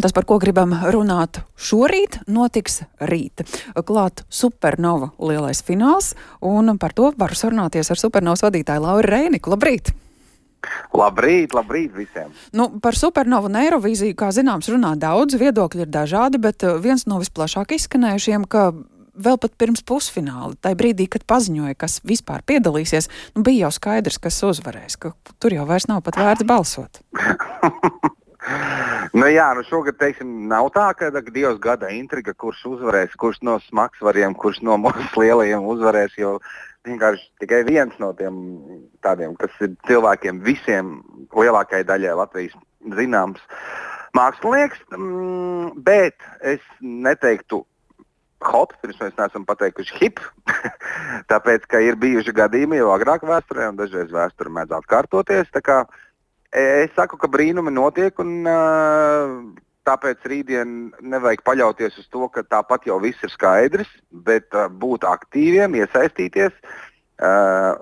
tas, par ko gribam runāt šorīt, notiks rīt. Klāt Supernova lielais fināls, un par to varu sarunāties ar Supernovas vadītāju Lauru Reiniku. Labrīt! Labrīt visiem! Par Supernovu un Eirovīziju, kā zināms, runā daudz, viedokļi ir dažādi, bet viens no visplašāk izskanējušiem, ka vēl pat pirms pusfināla, tai brīdī, kad paziņoja, kas vispār piedalīsies, bija jau skaidrs, kas uzvarēs, ka tur jau vairs nav pat vērts balsot. Šogad, nav tā, ka Dievs gada intriga, kurš uzvarēs, kurš no smagsvariem, kurš no mūsu lielajiem uzvarēs, jo vienkārši tikai viens no tiem tādiem, kas ir cilvēkiem visiem lielākajai daļai Latvijas zināms mākslinieks, bet es neteiktu hot, pirms mēs neesam pateikuši hip, tāpēc, ka ir bijuši gadījumi jau agrāk vēsturē, un dažreiz vēsture mēdz atkārtoties, tā kā es saku, ka brīnumi notiek, un tāpēc rītdien nevajag paļauties uz to, ka tāpat jau viss ir skaidrs, bet būt aktīviem, iesaistīties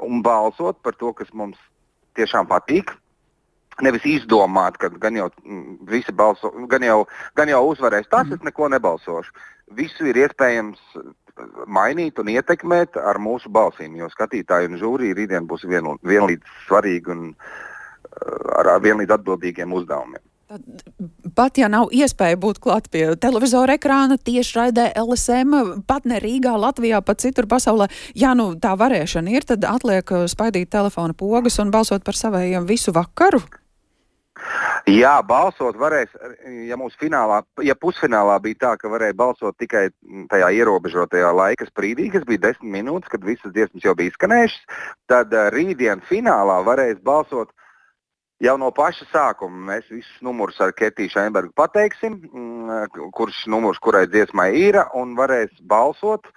un balsot par to, kas mums tiešām patīk. Nevis izdomāt, ka gan jau visi balso, gan jau uzvarēs tas, es neko nebalsošu. Visu ir iespējams mainīt un ietekmēt ar mūsu balsīm, jo skatītāji un žūrija rītdien būs vienlīdz svarīgi un ar vienlīdz atbildīgiem uzdevumiem. Pat ja nav iespēja būt klāt pie televizora ekrāna, tiešraidē LSM, pat ne Rīgā, Latvijā, pat citur pasaulē, ja tā varēšana ir, tad atliek spaidīt telefona pogas un balsot par savējiem visu vakaru? Jā, balsot varēs, ja pusfinālā bija tā, ka varēja balsot tikai tajā ierobežotajā laika sprīdī, kas bija 10 minūtes, kad visas dziesmas jau bija izskanējušas, tad rītdien finālā varēs balsot jau no paša sākuma. Mēs visus numurus ar Ketiju Šeinbergu pateiksim, kurš numurs kurai dziesmai ir, un varēs balsot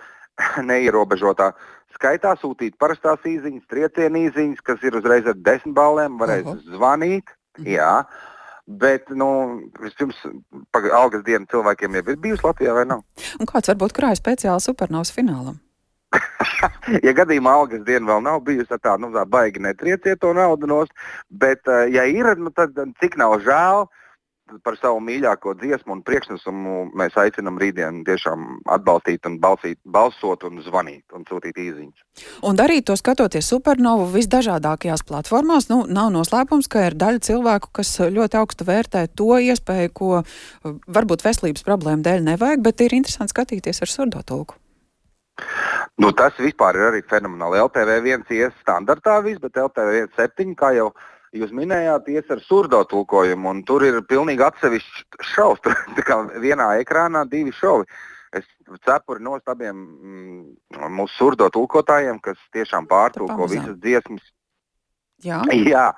neierobežotā skaitā, sūtīt parastās īziņas, triecienu īziņas, kas ir uzreiz ar 10 ballēm, varēs zvanīt. Jā, bet, vispirms algas diena cilvēkiem jau ir bijusi Latvijā, vai nav? Un kāds varbūt krāja speciāli Supernovas finālam? Ja gadījumā algas diena vēl nav bijusi, tā baigi netrieciet to naudu nost, bet, ja ir, tad cik nav žēl par savu mīļāko dziesmu un priekšnesumu, mēs aicinam rītdien tiešām atbalstīt un balsot un zvanīt un sūtīt īziņas. Un darīt to skatoties Supernovu visdažādākajās platformās, nav noslēpums, ka ir daļa cilvēku, kas ļoti augstu vērtē to iespēju, ko varbūt veselības problēmu dēļ nevajag, bet ir interesanti skatīties ar surdotulku. Tas vispār ir arī fenomenāli. LTV1 ies standartā viss, bet LTV1 kā jau jūs minējāt, ies ar surdotulkojumu, un tur ir pilnīgi atsevišķs šovs. Tur kā vienā ekrānā 2 šovi. Es cepuri nost abiem mūsu surdotulkotājiem, kas tiešām pārtulko visas dziesmas. Jā. Jā.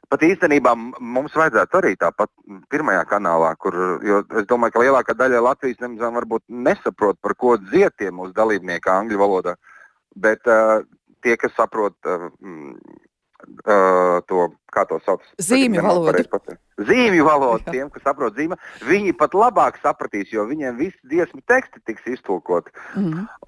Pat īstenībā mums vajadzētu arī tāpat pirmajā kanālā, jo es domāju, ka lielākā daļa Latvijas varbūt nesaprot, par ko dzied tie mūsu dalībnieki angļu valodā, bet tie, kas saprot to, kā to sauc? Zīmju valodu. Zīmju valodu, tiem, kas saprot zīmju, viņi pat labāk sapratīs, jo viņiem visi dziesmu teksti tiks iztulkoti.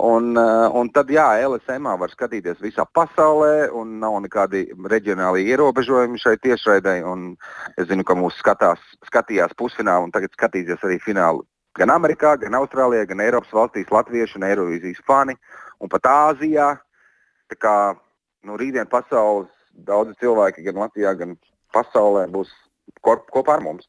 Un tad, LSM var skatīties visā pasaulē, un nav nekādi reģionāli ierobežojumi šai tiešraidei, un es zinu, ka mūs skatījās pusfinālu, un tagad skatīsies arī finālu gan Amerikā, gan Austrālijā, gan Eiropas valstīs latvieši un Eirovīzijas fani, un pat Āzijā. Tā kā, rītdien pasaules daudzi cilvēki gan Latvijā, gan pasaulē būs kopā ar mums.